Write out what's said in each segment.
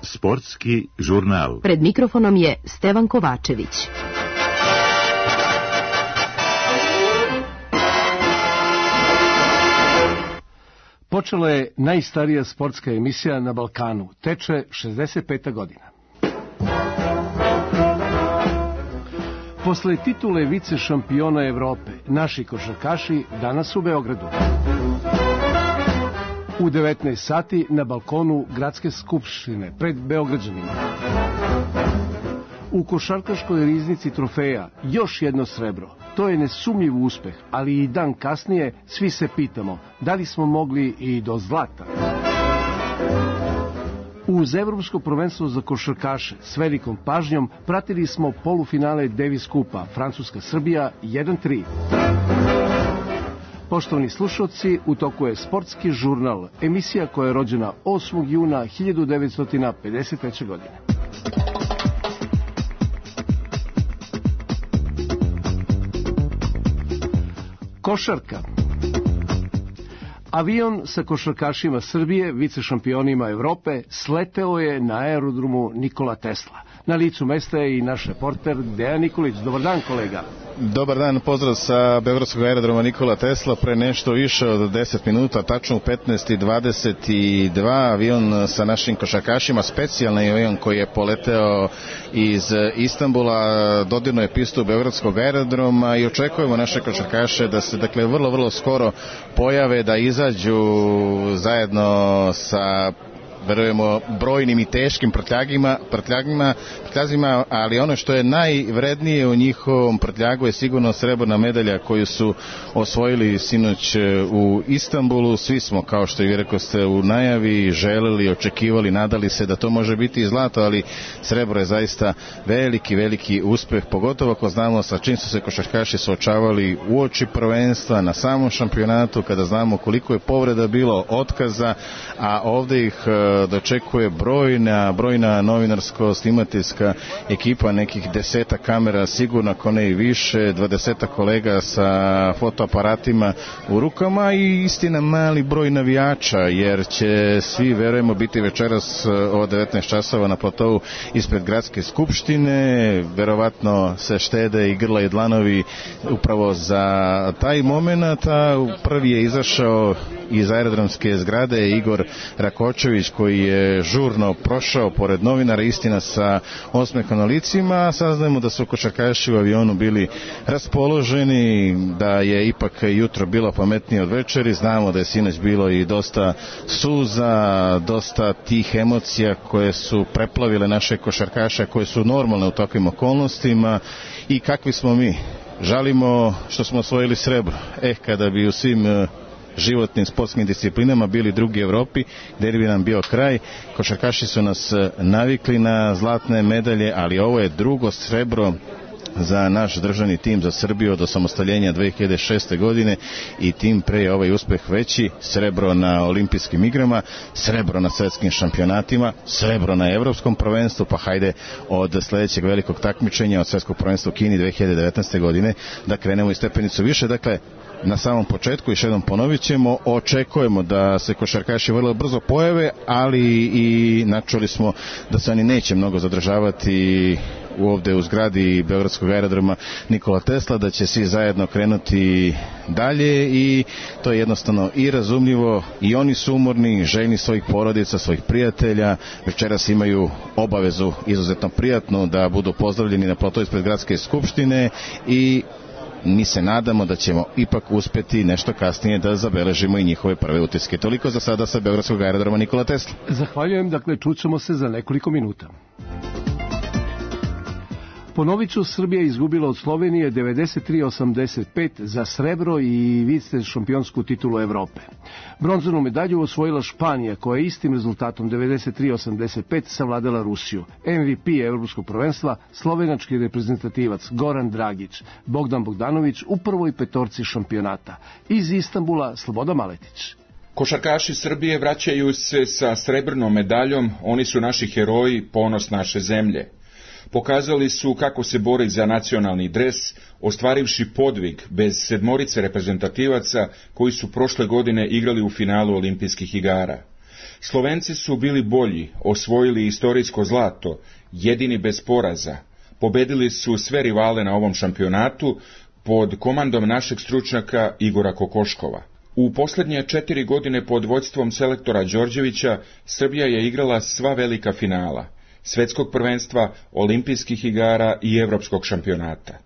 Sportski žurnal. Pred mikrofonom je Stevan Kovačević. Počela je najstarija sportska emisija na Balkanu. Teče 65. godina. Posle titule vice šampiona Evrope, naši košarkaši danas u Beogradu. U 19 sati na balkonu Gradske skupštine pred Beograđanima. U košarkaškoj riznici trofeja još jedno srebro. To je nesumnjiv uspeh, ali i dan kasnije svi se pitamo da li smo mogli i do zlata. Uz Evropsko prvenstvo za košarkaše s velikom pažnjom pratili smo polufinale Davis Kupa Francuska-Srbija 1-3. Poštovani slušalci, u toku je Sportski žurnal, emisija koja je rođena 8. juna 1953. godine. Košarka. Avion sa košarkašima Srbije, vice šampionima Evrope, sleteo je na aerodromu Nikola Tesla. Na licu mesta je i naš reporter Dejan Nikolić. Dobar dan, kolega. Dobar dan, pozdrav sa Beogradskog aerodroma Nikola Tesla. Pre nešto više od 10 minuta, tačno u 15:22, avion sa našim košarkašima, specijalni avion koji je poleteo iz Istanbula, dodirnuo je pistu Beogradskog aerodroma i očekujemo naše košarkaše da se, dakle, vrlo skoro pojave, da izađu zajedno sa, verujemo, brojnim i teškim prtljagima, ali ono što je najvrednije u njihovom prtljagu je sigurno srebrna medalja koju su osvojili sinoć u Istanbulu. Svi smo, kao što i vi rekoste u najavi, želeli, očekivali, nadali se da to može biti i zlato, ali srebro je zaista veliki uspeh, pogotovo ako znamo sa čim su se košarkaši suočavali uoči prvenstva, na samom šampionatu, kada znamo koliko je povreda bilo, otkaza, a ovde ih dočekuje brojna novinarsko-snimateljska ekipa, nekih 10 kamera sigurno, ako ne i više, 20 kolega sa fotoaparatima u rukama i istina mali broj navijača, jer će svi, verujemo, biti večeras od 19 časova na platovu ispred Gradske skupštine. Verovatno se štede i grla i dlanovi upravo za taj moment. Prvi je izašao iz aerodromske zgrade Igor Rakočević, koji je žurno prošao pored novinara, istina sa osmehom na licima. Saznajemo da su košarkaši u avionu bili raspoloženi, da je ipak jutro bilo pametnije od večeri. Znamo da je sinoć bilo i dosta suza, dosta tih emocija koje su preplavile naše košarkaše, koje su normalne u takvim okolnostima. I kakvi smo mi? Žalimo što smo osvojili srebro. Kada bi u svim životnim sportskim disciplinama bili drugi Evropi, gdje bi nam bio kraj. Košarkaši su nas navikli na zlatne medalje, ali ovo je drugo srebro za naš državni tim, za Srbiju od osamostaljenja 2006. godine i tim pre je ovaj uspeh veći. Srebro na olimpijskim igrama, srebro na svetskim šampionatima, srebro na evropskom prvenstvu, pa hajde od sledećeg velikog takmičenja, od svetskog prvenstva u Kini 2019. godine, da krenemo i stepenicu više. Dakle, na samom početku, još jednom ponovit ćemo, očekujemo da se košarkaši vrlo brzo pojave, ali i načuli smo da se oni neće mnogo zadržavati ovde u zgradi Beogradskog aerodroma Nikola Tesla, da će svi zajedno krenuti dalje i to je jednostavno i razumljivo. I oni su umorni, željni svojih porodica, svojih prijatelja. Večeras imaju obavezu izuzetno prijatnu da budu pozdravljeni na platovu ispred Gradske skupštine i mi se nadamo da ćemo ipak uspeti nešto kasnije da zabeležimo i njihove prve utiske. Toliko za sada sa Beogradskog aerodroma Nikola Tesla. Zahvaljujem, dakle, čućemo se za nekoliko minuta. Ponovit ću, Srbija je izgubila od Slovenije 93-85 za srebro i vice šampionsku titulu Evrope. Bronzanu medalju osvojila Španija, koja je istim rezultatom 93-85 savladala Rusiju. MVP evropskog prvenstva, slovenački reprezentativac Goran Dragić, Bogdan Bogdanović u prvoj petorci šampionata. Iz Istanbula Slobodan Maletić. Košarkaši Srbije vraćaju se sa srebrnom medaljom, oni su naši heroji, ponos naše zemlje. Pokazali su kako se bori za nacionalni dres, ostvarivši podvig bez 7 reprezentativaca koji su prošle godine igrali u finalu olimpijskih igara. Slovenci su bili bolji, osvojili istorijsko zlato, jedini bez poraza. Pobedili su sve rivale na ovom šampionatu pod komandom našeg stručnjaka Igora Kokoškova. U posljednje 4 godine pod vođstvom selektora Đorđevića Srbija je igrala sva velika finala, svetskog prvenstva, olimpijskih igara i evropskog šampionata.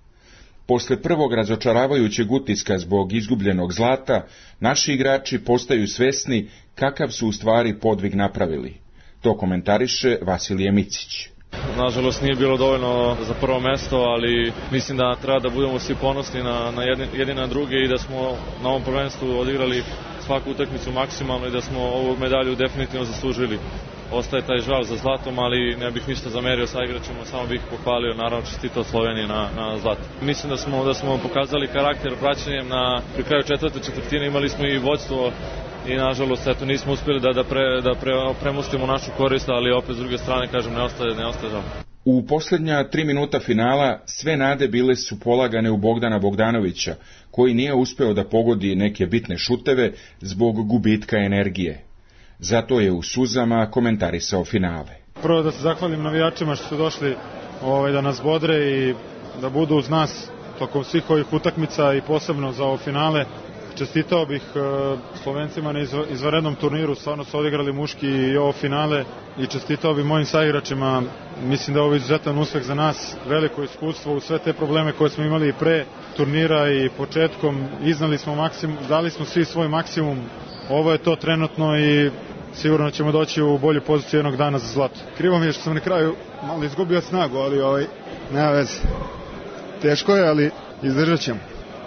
Posle prvog razočaravajućeg utiska zbog izgubljenog zlata, naši igrači postaju svesni kakav su u stvari podvig napravili. To komentariše Vasilije Micić. Nažalost nije bilo dovoljno za prvo mesto, ali mislim da treba da budemo svi ponosni na jedni na druge i da smo na ovom prvenstvu odigrali svaku utakmicu maksimalno i da smo ovu medalju definitivno zaslužili. Ostaje taj žal za zlatom, ali ne bih ništa zamerio sa igračima, samo bih pohvalio, naravno čestitao Sloveniji na zlato. Mislim da smo pokazali karakter praćenjem pri kraju četvrtine, imali smo i vođstvo i nažalost nismo uspjeli da premostimo našu korist, ali opet s druge strane kažem ne ostaje žal. U posljednja 3 minuta finala sve nade bile su polagane u Bogdana Bogdanovića, koji nije uspeo da pogodi neke bitne šuteve zbog gubitka energije. Zato je u suzama komentarisao finale. Prvo da se zahvalim navijačima što su došli da nas bodre i da budu uz nas tokom svih ovih utakmica i posebno za ovo finale. Čestitao bih Slovencima na izvanrednom turniru, stvarno su odigrali muški i ovo finale i čestitao bih mojim saigračima. Mislim da je ovo izuzetan uspeh za nas, veliko iskustvo u sve te probleme koje smo imali i pre turnira i početkom. Iznali smo maksimum, dali smo svi svoj maksimum. Ovo je to trenutno i sigurno ćemo doći u bolju poziciju jednog dana za zlato. Krivo mi je što sam na kraju malo izgubio snagu, ali nema veze. Teško je, ali izdržat ćemo.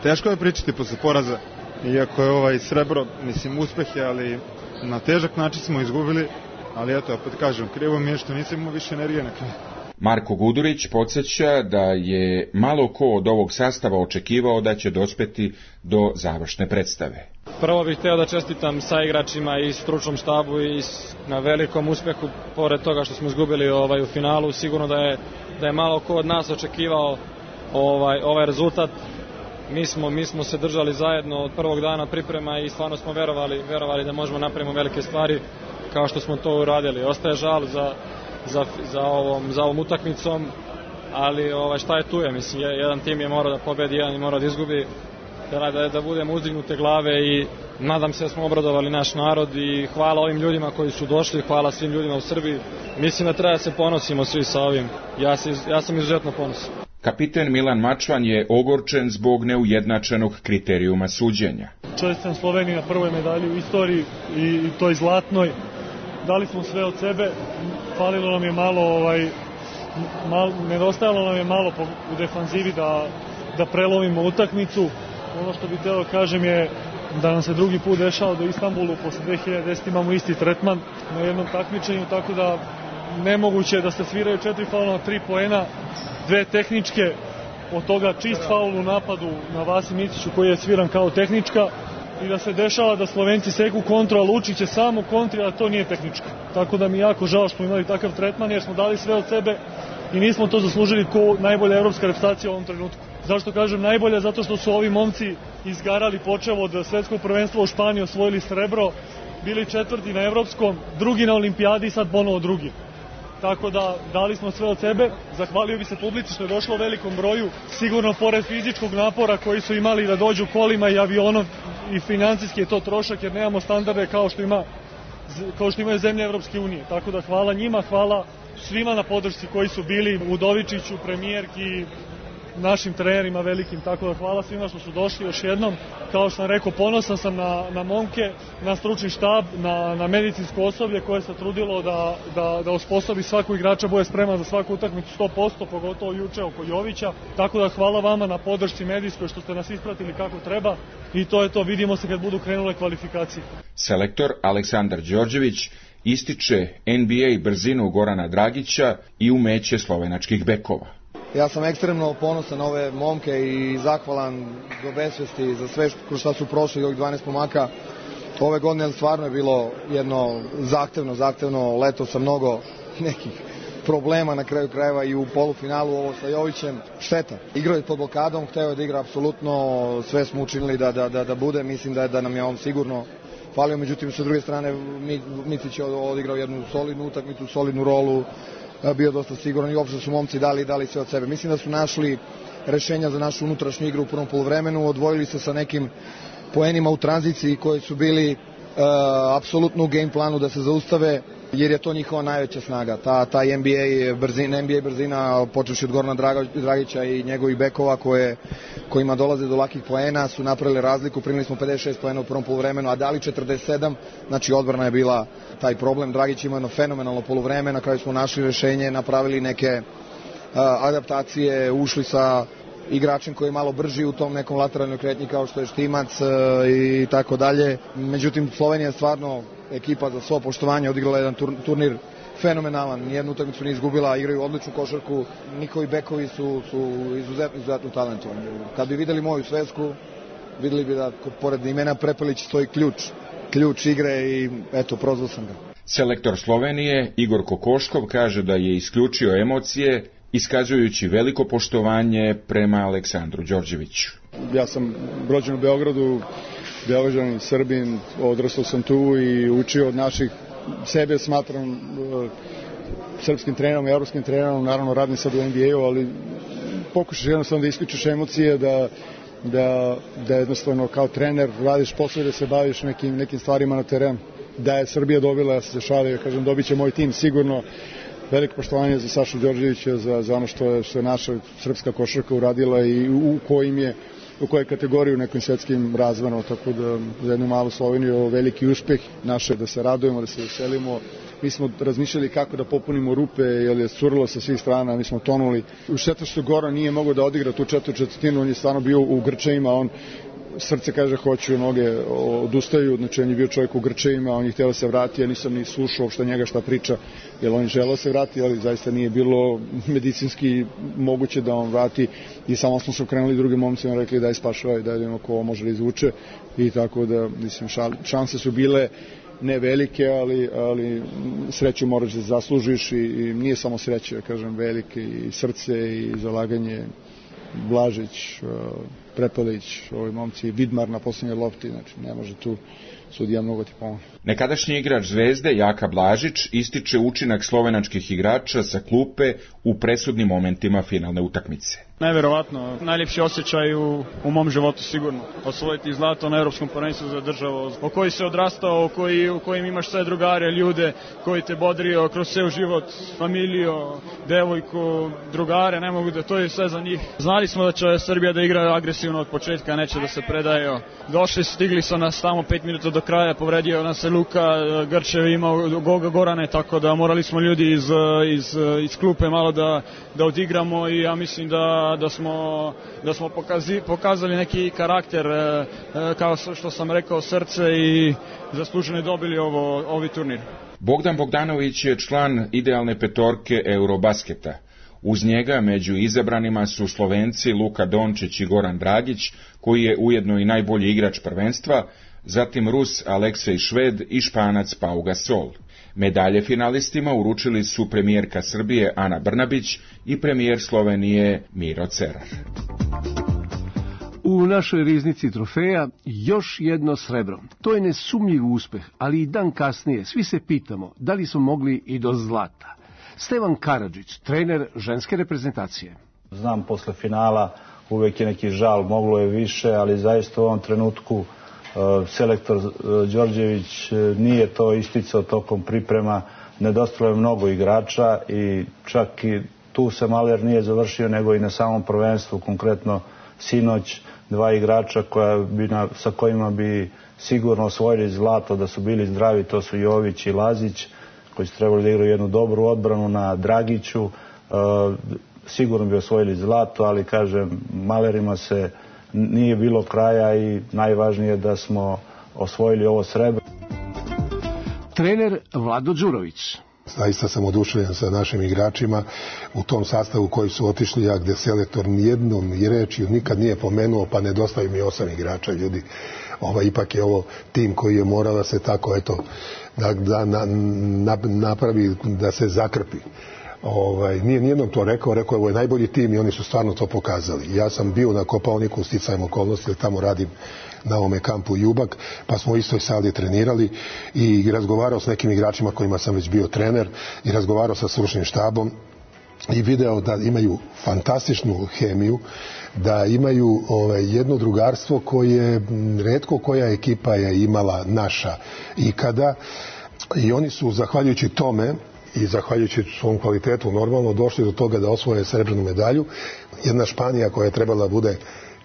Teško je pričati posle poraza. Iako je srebro, mislim, uspeh je, ali na težak način smo izgubili, ali eto, opet kažem, krivo mi je što nisam imao više energije na kraju. Marko Gudurić podsjeća da je malo ko od ovog sastava očekivao da će dospeti do završne predstave. Prvo bih hteo da čestitam saigračima i stručnom štabu i na velikom uspehu, pored toga što smo izgubili u finalu. Sigurno da je malo ko od nas očekivao ovaj rezultat. Mi smo se držali zajedno od prvog dana priprema i stvarno smo verovali da možemo napravimo velike stvari kao što smo to uradili. Ostaje žal za ovom utakmicom, ali šta je tu je, mislim, jedan tim je morao da pobedi, jedan je morao da izgubi, da budemo uzdignute glave i nadam se da smo obradovali naš narod i hvala ovim ljudima koji su došli, hvala svim ljudima u Srbiji. Mislim da treba da se ponosimo svi sa ovim, ja sam izuzetno ponosan. Kapiten Milan Mačvan je ogorčen zbog neujednačenog kriterijuma suđenja. Čestitam Sloveniji na prvoj medalji u istoriji i toj zlatnoj. Dali smo sve od sebe, falilo nam je malo, nedostajalo nam je malo u defanzivi da prelovimo utakmicu. Ono što bih hteo kažem je da nam se drugi put dešava da u Istanbulu posle 2010 imamo isti tretman na jednom takmičenju, tako da nemoguće je da se sviraju 4 faula na 3 poena, 2 tehničke, od toga čist faul u napadu na Vasi Miciću koji je sviran kao tehnička i da se dešava da Slovenci seku kontru, a Lučić je samo kontri, a to nije tehnička. Tako da mi je jako žao što smo imali takav tretman jer smo dali sve od sebe i nismo to zaslužili kao najbolja evropska reprezentacija u ovom trenutku. Zašto kažem najbolja? Zato što su ovi momci izgarali počev od svetskog prvenstva u Španiji, osvojili srebro, bili 4. na evropskom, 2. na olimpijadi i sad ponovo 2. Tako da dali smo sve od sebe. Zahvalio bi se publici što je došlo u velikom broju, sigurno pored fizičkog napora koji su imali da dođu kolima i avionom i financijski je to trošak jer nemamo standarde kao što imaju zemlje Evropske unije. Tako da hvala njima, hvala svima na podršci koji su bili, Udovičiću, premijerki, našim trenerima velikim, tako da hvala svima što su došli još jednom. Kao što sam rekao, ponosan sam na momke, na stručni štab, na medicinsko osoblje koje se trudilo da osposobi svaku igrača, bude spreman za svaku utakmicu 100%, pogotovo juče oko Jovića. Tako da hvala vama na podršci medijskoj što ste nas ispratili kako treba i to je to, vidimo se kad budu krenule kvalifikacije. Selektor Aleksandar Đorđević ističe NBA brzinu Gorana Dragića i umeće slovenačkih bekova. Ja sam ekstremno ponosan na ove momke i zahvalan do besvesti za sve kroz šta su prošli ovih 12 momaka. Ove godine stvarno je bilo jedno zahtevno leto sa mnogo nekih problema na kraju krajeva i u polufinalu ovo sa Jovićem. Šteta. Igrao je pod blokadom, hteo je da igra apsolutno, sve smo učinili da bude, mislim da nam je on sigurno falio, međutim sa druge strane Micić je odigrao jednu solidnu utakmicu, solidnu rolu, bio dosta siguran i uopšte su momci dali sve od sebe. Mislim da su našli rešenja za našu unutrašnju igru u prvom poluvremenu, odvojili se sa nekim poenima u tranziciji koji su bili apsolutno u game planu da se zaustave, jer je to njihova najveća snaga. Ta NBA brzina, počevši od Gorana Dragića i njegovih bekova kojima dolaze do lakih poena, su napravili razliku, primili smo 56 poena u prvom poluvremenu, a dali 47, znači odbrana je bila taj problem. Dragić ima jedno fenomenalno poluvreme, na kraju smo našli rešenje, napravili neke adaptacije, ušli sa igračem koji je malo brži u tom nekom lateralnoj kretnji kao što je Štimac i tako dalje. Međutim, Slovenija je stvarno ekipa za svo poštovanje, odigrala jedan turnir fenomenalan, nijednu utakmicu nije izgubila, igraju odličnu košarku, njihovi bekovi su izuzetno talentovani. Kad bi videli moju svesku, videli bi da pored imena Prepelić stoji ključ igre i eto, prozvao sam ga. Selektor Slovenije Igor Kokoškov kaže da je isključio emocije, iskazujući veliko poštovanje prema Aleksandru Đorđeviću. Ja sam rođen u Beogradu, Beograđanin, Srbin, odrastao sam tu i učio od naših, sebe smatram srpskim trenerom, evropskim trenerom, naravno radim sad u NBA-u, ali pokušaš jednostavno da isključiš emocije, da jednostavno kao trener radiš posao i da se baviš nekim stvarima na terenu. Da je Srbija dobila, ja se šalim, kažem, dobit će moj tim sigurno. Veliko poštovanje za Sašu Đorđevića, za ono što je naša srpska košarka uradila i u kojoj kategoriji u nekim svetskim razvanama, tako da za jednu malu Sloveniju veliki uspeh naše, da se radujemo, da se veselimo. Mi smo razmišljali kako da popunimo rupe, jer je curilo sa svih strana, mi smo tonuli. U šteta što Goran nije mogao da odigra tu četvrtinu, on je stvarno bio u grčevima, srce kaže hoću, noge odustaju, znači on je bio čovjek u grčevima, on je htio da se vrati, ja nisam ni slušao uopšte njega šta priča, jer on je želeo da se vrati, ali zaista nije bilo medicinski moguće da on vrati i samo smo se okrenuli drugim momcima, rekli daj spašavaj, daj vidimo ko može da izvuče i tako da, mislim, šanse su bile ne velike, ali sreću moraš da zaslužiš i nije samo sreće, ja kažem, velike i srce i zalaganje. Blažić, Prepelić, ovi momci, Vidmar na posljednjoj lopti, znači ne može tu sudija mnogo ti pomoći. Nekadašnji igrač Zvezde, Jaka Blažić, ističe učinak slovenačkih igrača sa klupe u presudnim momentima finalne utakmice. Najverovatno, najljepši osjećaj u mom životu sigurno. Osvojiti zlato na Evropskom prvenstvu za državu, o koji se odrastao, u kojim imaš sve drugare, ljude koji te bodrio kroz ceo život, familiju, devojku, drugare, ne mogu da, to je sve za njih. Znali smo da će Srbija da igra agresivno od početka, neće da se predaje. Došli, stigli su nas tamo 5 minuta do kraja, povredio nas se Luka, Grčev imao Gorane, tako da morali smo ljudi iz klupe malo da odigramo i ja mislim da smo pokazali neki karakter, kao što sam rekao, srce i zasluženo dobili ovi turnir. Bogdan Bogdanović je član idealne petorke Eurobasketa. Uz njega među izabranima su Slovenci Luka Dončić i Goran Dragić, koji je ujedno i najbolji igrač prvenstva, zatim Rus Aleksej Šved i Španac Pau Gasol. Medalje finalistima uručili su premijerka Srbije Ana Brnabić i premijer Slovenije Miro Cerar. U našoj riznici trofeja još jedno srebro. To je nesumnjiv uspeh, ali i dan kasnije svi se pitamo da li smo mogli i do zlata. Stevan Karadžić, trener ženske reprezentacije. Znam, posle finala uvek je neki žal, moglo je više, ali zaista u ovom trenutku selektor Đorđević nije to isticao tokom priprema, nedostalo je mnogo igrača i čak i tu se Maler nije završio, nego i na samom prvenstvu, konkretno sinoć, 2 igrača sa kojima bi sigurno osvojili zlato da su bili zdravi, to su Jović i Lazić, koji su trebali da igraju jednu dobru odbranu na Dragiću, sigurno bi osvojili zlato, ali kažem, Malerima se nije bilo kraja i najvažnije je da smo osvojili ovo srebro. Trener Vlado Đurović. Zaista sam oduševljen sa našim igračima u tom sastavu koji su otišli, ja gde selektor nijednom i rečju nikad nije pomenuo, pa nedostaju mi 8 igrača, ljudi. Ipak je ovo tim koji je morao da se tako, eto, da napravi, da se zakrpi. nije nijednom to rekao je ovo je najbolji tim i oni su stvarno to pokazali. Ja sam bio na Kopaoniku sticajem okolnosti, jer tamo radim na ovome kampu Jubak, pa smo u istoj sali trenirali i razgovarao s nekim igračima kojima sam već bio trener i razgovarao sa stručnim štabom i video da imaju fantastičnu hemiju, da imaju jedno drugarstvo koje retko koja ekipa je imala naša ikada i oni su zahvaljujući tome i zahvaljujući svom kvalitetu normalno došli do toga da osvoje srebrnu medalju. Jedna Španija koja je trebala bude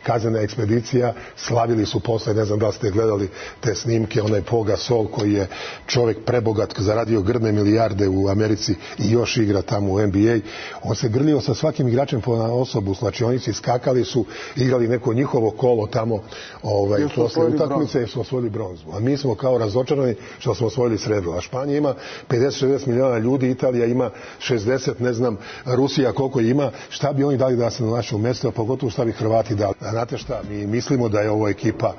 kaznena ekspedicija, slavili su posle, ne znam da li ste gledali te snimke, onaj Pau Gasol koji je čovjek prebogat, zaradio grdne milijarde u Americi i još igra tamo u NBA. On se grlio sa svakim igračem po osobu, znači oni su skakali su, igrali neko njihovo kolo tamo posle utakmice i su osvojili bronzu. A mi smo kao razočarani što smo osvojili srebro. A Španija ima 50-60 miliona ljudi, Italija ima 60, ne znam, Rusija koliko ima, šta bi oni dali da se na našem mjestu, a pogotovo šta bi Hrvati dali. Znate šta, mi mislimo da je ovo ekipa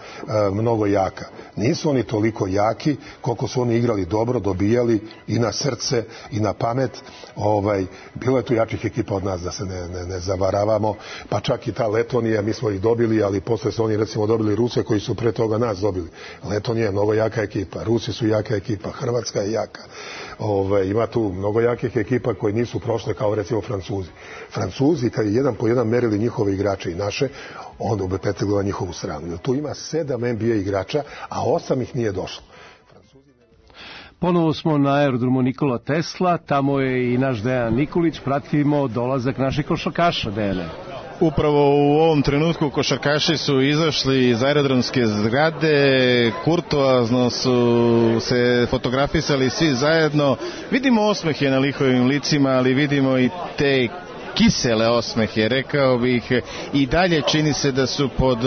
mnogo jaka. Nisu oni toliko jaki koliko su oni igrali dobro, dobijali i na srce i na pamet. Bilo je tu jačih ekipa od nas, da se ne zavaravamo, pa čak i ta Letonija, mi smo ih dobili, ali posle su oni recimo dobili Ruse koji su pre toga nas dobili. Letonija je mnogo jaka ekipa, Rusi su jaka ekipa, Hrvatska je jaka. Ima tu mnogo jakih ekipa koji nisu prošle kao recimo Francuzi. Francuzi kad je jedan po jedan merili njihove igrače i naše, onda bi peteglo na njihovu stranu. Jer tu ima 7 NBA igrača, a 8 ih nije došlo. Ponovo smo na aerodromu Nikola Tesla, tamo je i naš Dejan Nikolić, pratimo dolazak naših košarkaša, Dejane. Upravo u ovom trenutku košarkaši su izašli iz aerodromske zgrade, kurtoazno su se fotografisali svi zajedno. Vidimo osmehe na lihovim licima, ali vidimo i te kisele osmehe, rekao bih, i dalje čini se da su pod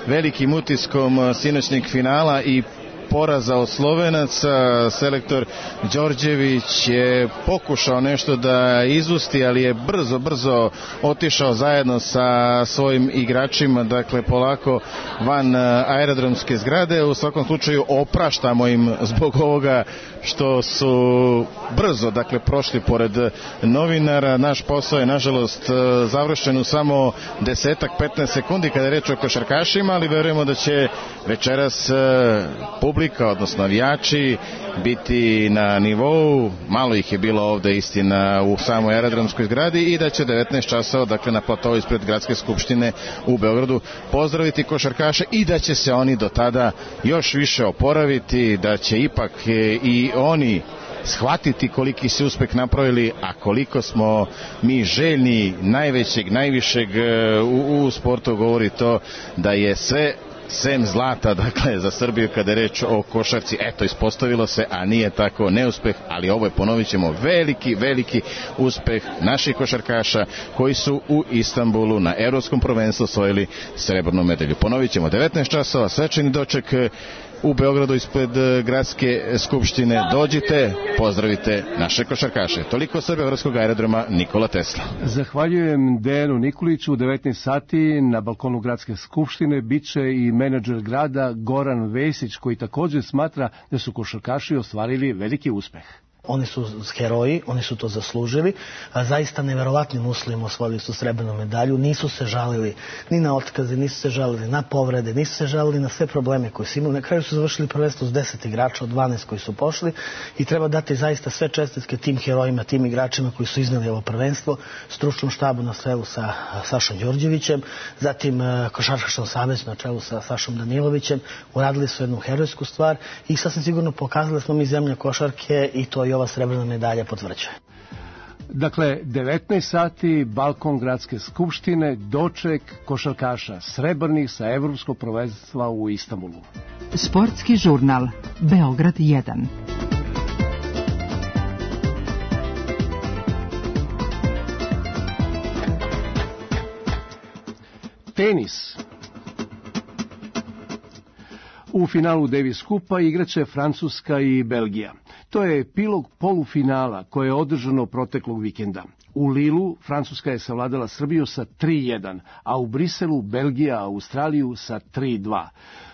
velikim utiskom sinoćnjeg finala i poraza od Slovenaca. Selektor Đorđević je pokušao nešto da izusti, ali je brzo otišao zajedno sa svojim igračima, dakle polako van aerodromske zgrade. U svakom slučaju opraštamo im zbog ovoga što su brzo, dakle, prošli pored novinara. Naš posao je nažalost završen u samo 10-15 sekundi kada je reč o košarkašima, ali verujemo da će večeras publika, odnosno navijači, biti na nivou. Malo ih je bilo ovde, istina, u samoj aerodromskoj zgradi, i da će 19 časova, dakle, na platovu ispred Gradske skupštine u Beogradu pozdraviti košarkaše i da će se oni do tada još više oporaviti, da će ipak i oni shvatiti koliki se uspeh napravili, a koliko smo mi željni najvećeg, najvišeg u sportu, govori to da je sve sem zlata, dakle, za Srbiju kada je reč o košarci. Eto, ispostavilo se, a nije tako, neuspeh, ali ovo je, ponovit ćemo, veliki uspeh naših košarkaša koji su u Istanbulu na Evropskom prvenstvu osvojili srebrnu medalju. Ponovit ćemo, 19 časova, svečani doček u Beogradu ispred Gradske skupštine. Dođite, pozdravite naše košarkaše. Toliko sa beogradskog aerodroma Nikola Tesla. Zahvaljujem Dejanu Nikoliću. U 19 sati na balkonu Gradske skupštine biće i menadžer grada Goran Vesić, koji također smatra da su košarkaši ostvarili veliki uspeh. Oni su heroji, oni su to zaslužili, zaista neverovatnim uslovima osvojili su srebrnu medalju, nisu se žalili ni na otkaze, nisu se žalili na povrede, nisu se žalili na sve probleme koje su imali. Na kraju su završili prvenstvo s 10 igrača od 12 koji su pošli i treba dati zaista sve čestitke tim herojima, tim igračima koji su izneli ovo prvenstvo, stručnom štabu na čelu sa Sašom Đorđevićem, zatim košarkaškom savezu na čelu sa Sašom Danilovićem. Uradili su jednu herojsku stvar i sasvim sigurno pokazali smo mi zemlja košarke, i to i ova srebrna medalja potvrđuje. Dakle, 19 sati, balkon Gradske skupštine, doček košarkaša srebrnih sa Evropskog prvenstva u Istanbulu. Sportski žurnal, Beograd 1. Tenis. U finalu Davis Kupa igraće Francuska i Belgija. To je epilog polufinala koje je održano proteklog vikenda. U Lilu Francuska je savladala Srbiju sa 3-1, a u Briselu Belgija Australiju sa 3-2.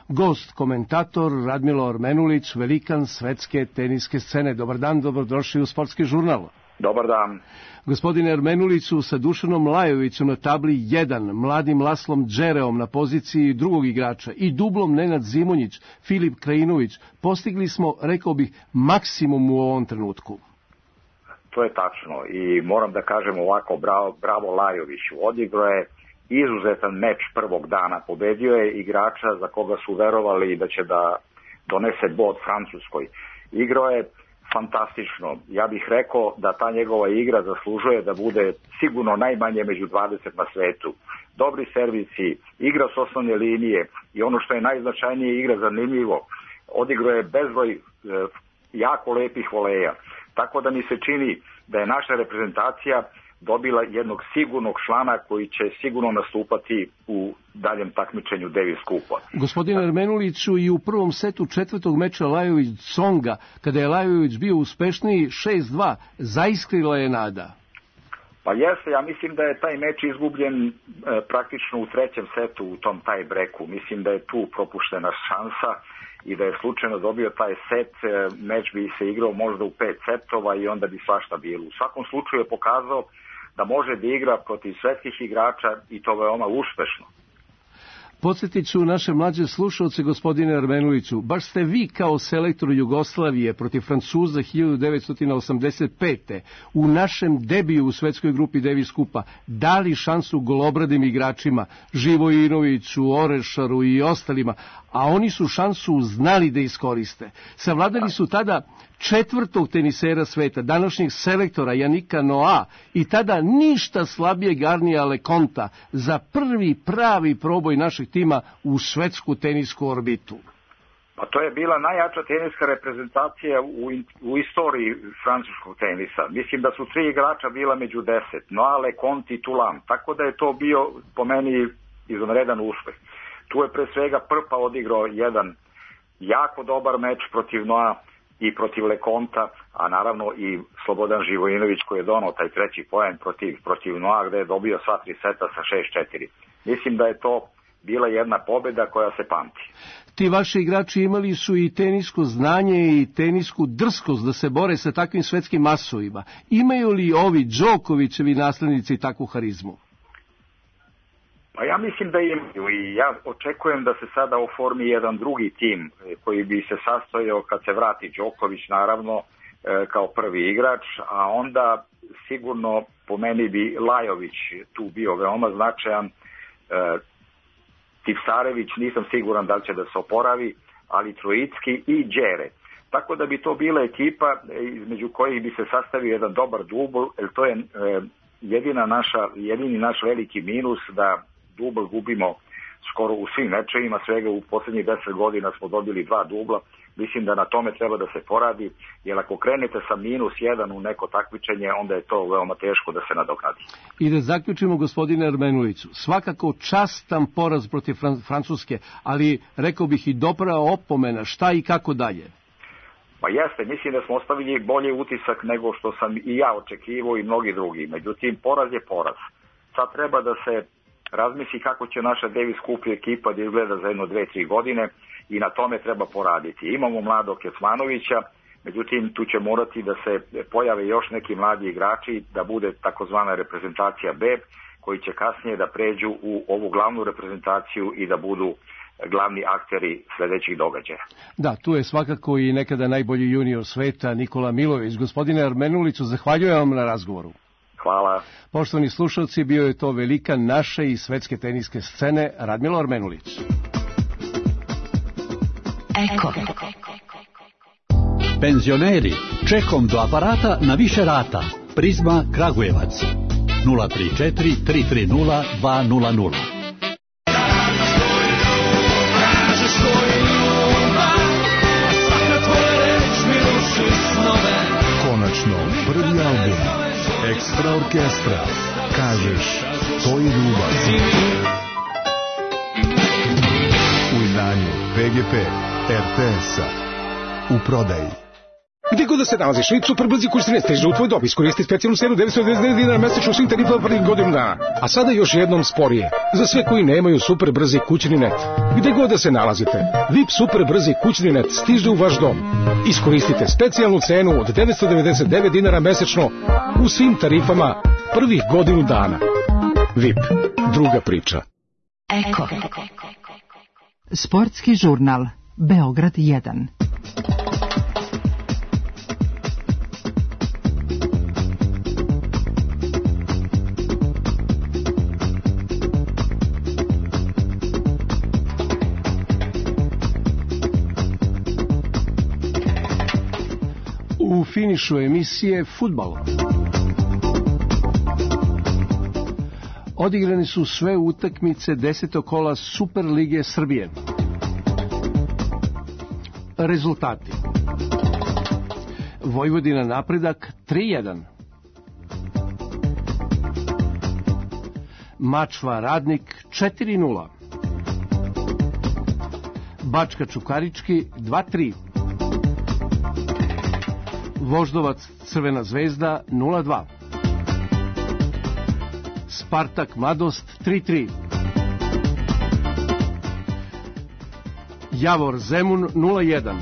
Gost, komentator Radmilo Ormenulić, velikan svetske teniske scene. Dobar dan, dobrodošli u Sportski žurnal. Dobar dan. Gospodine Ermenuliću, sa Dušanom Lajovićem na tabli 1, mladim Laslom Džereom na poziciji drugog igrača i dublom Nenad Zimonjić, Filip Krajinović, postigli smo, rekao bih, maksimum u ovom trenutku. To je tačno i moram da kažem ovako, bravo Lajoviću. Odigrao je izuzetan meč prvog dana, pobedio je igrača za koga su verovali da će da donese bod Francuskoj. Igrao je fantastično. Ja bih rekao da ta njegova igra zaslužuje da bude sigurno najmanje među 20 na svetu. Dobri servisi, igra s osnovne linije i ono što je najznačajnije, igra zanimljivo. Odigrao je bezbroj jako lepih voleja. Tako da mi se čini da je naša reprezentacija dobila jednog sigurnog člana koji će sigurno nastupati u daljem takmičenju Davis Kupa. Gospodine Ermenuliću, i u prvom setu četvrtog meča Lajović-Tsonga, kada je Lajović bio uspešniji 6-2, zaiskrila je nada. Pa jeste, ja mislim da je taj meč izgubljen praktično u trećem setu u tom tie-breaku. Mislim da je tu propuštena šansa i da je slučajno dobio taj set, meč bi se igrao možda u 5 setova i onda bi svašta bilo. U svakom slučaju je pokazao da može da igra protiv svetskih igrača i to veoma uspešno. Podsjetit ću naše mlađe slušalce, gospodine Ermenuliću, baš ste vi kao selektor Jugoslavije protiv Francuza 1985. u našem debiju u svetskoj grupi Davis Kupa dali šansu golobradim igračima, Živojinoviću, Orešaru i ostalima, a oni su šansu znali da iskoriste. Savladali su tada četvrtog tenisera sveta, današnjeg selektora Janika Noa i tada ništa slabijeg Arnija Leconta za prvi pravi proboj našeg tima u svetsku tenisku orbitu. Pa to je bila najjača teniska reprezentacija u istoriji francuskog tenisa. Mislim da su 3 igrača bila među 10, Noa, Leconte i Thulam, tako da je to bio po meni izvanredan uspeh. Tu je pre svega Prpa odigrao jedan jako dobar meč protiv Noa i protiv Leconta, a naravno i Slobodan Živojinović koji je donao taj treći poen protiv Noa gde je dobio sva 3 seta sa 6-4. Mislim da je to bila jedna pobjeda koja se pamti. Ti vaši igrači imali su i tenisko znanje i tenisku drskost da se bore sa takvim svetskim masovima. Imaju li ovi Đokovićevi naslednici takvu harizmu? Pa ja mislim da imaju i ja očekujem da se sada oformi jedan drugi tim koji bi se sastojao kad se vrati Đoković naravno kao prvi igrač, a onda sigurno po meni bi Lajović tu bio veoma značajan, Tipsarević nisam siguran da li će da se oporavi, ali Trojicki i Đere. Tako da bi to bila ekipa između kojih bi se sastavio jedan dobar dubl, jer to je jedini naš veliki minus da dubl gubimo skoro u svim mečevima, svega u posljednjih 10 godina smo dobili 2 dubla. Mislim da na tome treba da se poradi, jer ako krenete sa -1 u neko takmičenje, onda je to veoma teško da se nadoknadi. I da zaključimo, gospodine Ermenuliću, svakako častan poraz protiv Francuske, ali rekao bih i dobra opomena, šta i kako dalje? Pa jeste, mislim da smo ostavili bolji utisak nego što sam i ja očekivao i mnogi drugi. Međutim, poraz je poraz. Sad treba da se razmisli kako će naša Davis Cup ekipa da izgleda za 1-2-3 godine i na tome treba poraditi. Imamo mladog Kecmanovića, međutim tu će morati da se pojave još neki mladi igrači, da bude takozvana reprezentacija B, koji će kasnije da pređu u ovu glavnu reprezentaciju i da budu glavni akteri sledećih događaja. Da, tu je svakako i nekada najbolji junior sveta Nikola Milović. Gospodine Ermenuliću, zahvaljujem vam na razgovoru. Hvala. Poštovani slušalci, bio je to velikan naše i svetske teniske scene Radmilo Ermenulić. Eko. Penzioneri, čekom do aparata na više rata. Prizma Kragujevac 034 330 200. Konačno, prvi album Ekstra orkestra. Kažeš, to je ljubav. U izdanju PGP RTS-a. U prodaji. Gde god da se nalaziš, VIP Superbrzi kućni stiže u tvoj dom. Iskoristi specijalnu cenu 999 dinara mesečno u svim tarifama prvih godinu dana. A sada još jednom sporije. Za sve koji nemaju Superbrzi kućni net. Gde god da se nalazite, VIP Superbrzi kućni net stiže u vaš dom. Iskoristite specijalnu cenu od 999 dinara mesečno u svim tarifama prvih godinu dana. VIP. Druga priča. Eko. Sportski žurnal. Beograd 1. U finišu emisije fudbal. Odigrane su sve utakmice 10. kola Super lige Srbije. Rezultati: Vojvodina Napredak 3-1, Mačva Radnik 4-0, Bačka Čukarički 2-3, Voždovac Crvena zvezda 0-2, Spartak Mladost 3-3, Javor Zemun 0-1,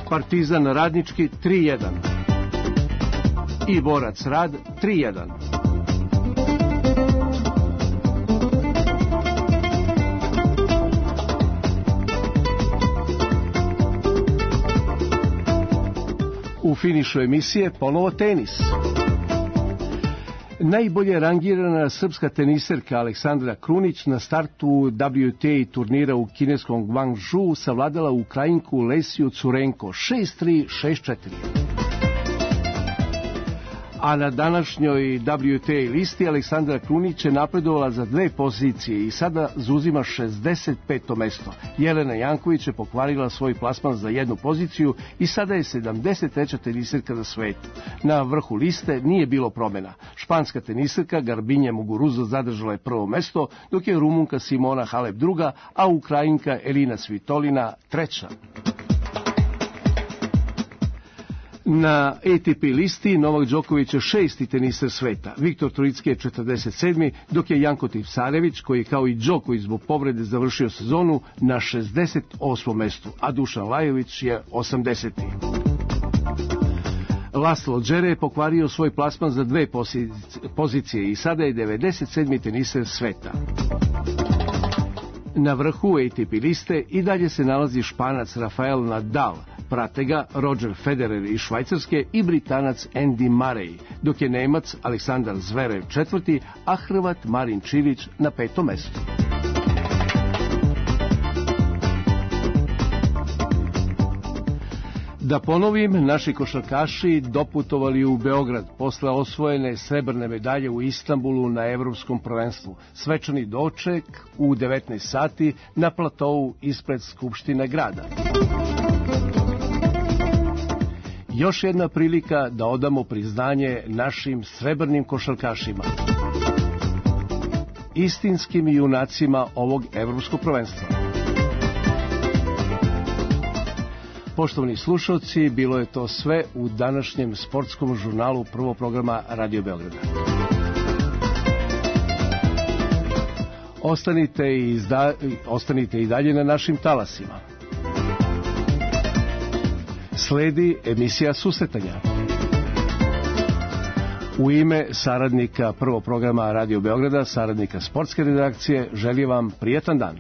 Partizan Radnički 3-1 i Borac Rad 3-1. U finišu emisije ponovo tenis. Najbolje rangirana srpska teniserka Aleksandra Krunić na startu WTA turnira u kineskom Guangzhou savladala Ukrajinku Lesiju Curenko 6-3, 6-4. A na današnjoj WTA listi Aleksandra Krunić je napredovala za 2 pozicije i sada zauzima 65. mesto. Jelena Janković je pokvarila svoj plasman za 1 poziciju i sada je 73. teniserka na svetu. Na vrhu liste nije bilo promjena. Španska teniserka Garbinja Muguruza zadržala je 1. mesto, dok je Rumunka Simona Halep 2., a Ukrajinka Elina Svitolina 3. Na ATP listi Novak Đoković je 6. teniser sveta, Viktor Trojicki je 47. dok je Janko Tipsarević, koji kao i Đoković zbog povrede završio sezonu, na 68. mestu, a Dušan Lajović je 80. Laslo Džere je pokvario svoj plasman za 2 pozicije i sada je 97. teniser sveta. Na vrhu ATP liste i dalje se nalazi Španac Rafael Nadal, prate ga Roger Federer iz Švajcarske i Britanac Andy Murray, dok je Nemac Aleksandar Zverev 4., a Hrvat Marin Čilić na 5. mestu. Da ponovim, naši košarkaši doputovali u Beograd posle osvojene srebrne medalje u Istanbulu na Evropskom prvenstvu. Svečani doček u 19 sati na platovu ispred Skupštine grada. Još jedna prilika da odamo priznanje našim srebrnim košarkašima, istinskim junacima ovog evropskog prvenstva. Poštovani slušalci, bilo je to sve u današnjem sportskom žurnalu prvog programa Radio Beograda. Ostanite i dalje na našim talasima. Sledi emisija Susretanja. U ime saradnika prvog programa Radio Beograda, saradnika sportske redakcije, želim vam prijetan dan.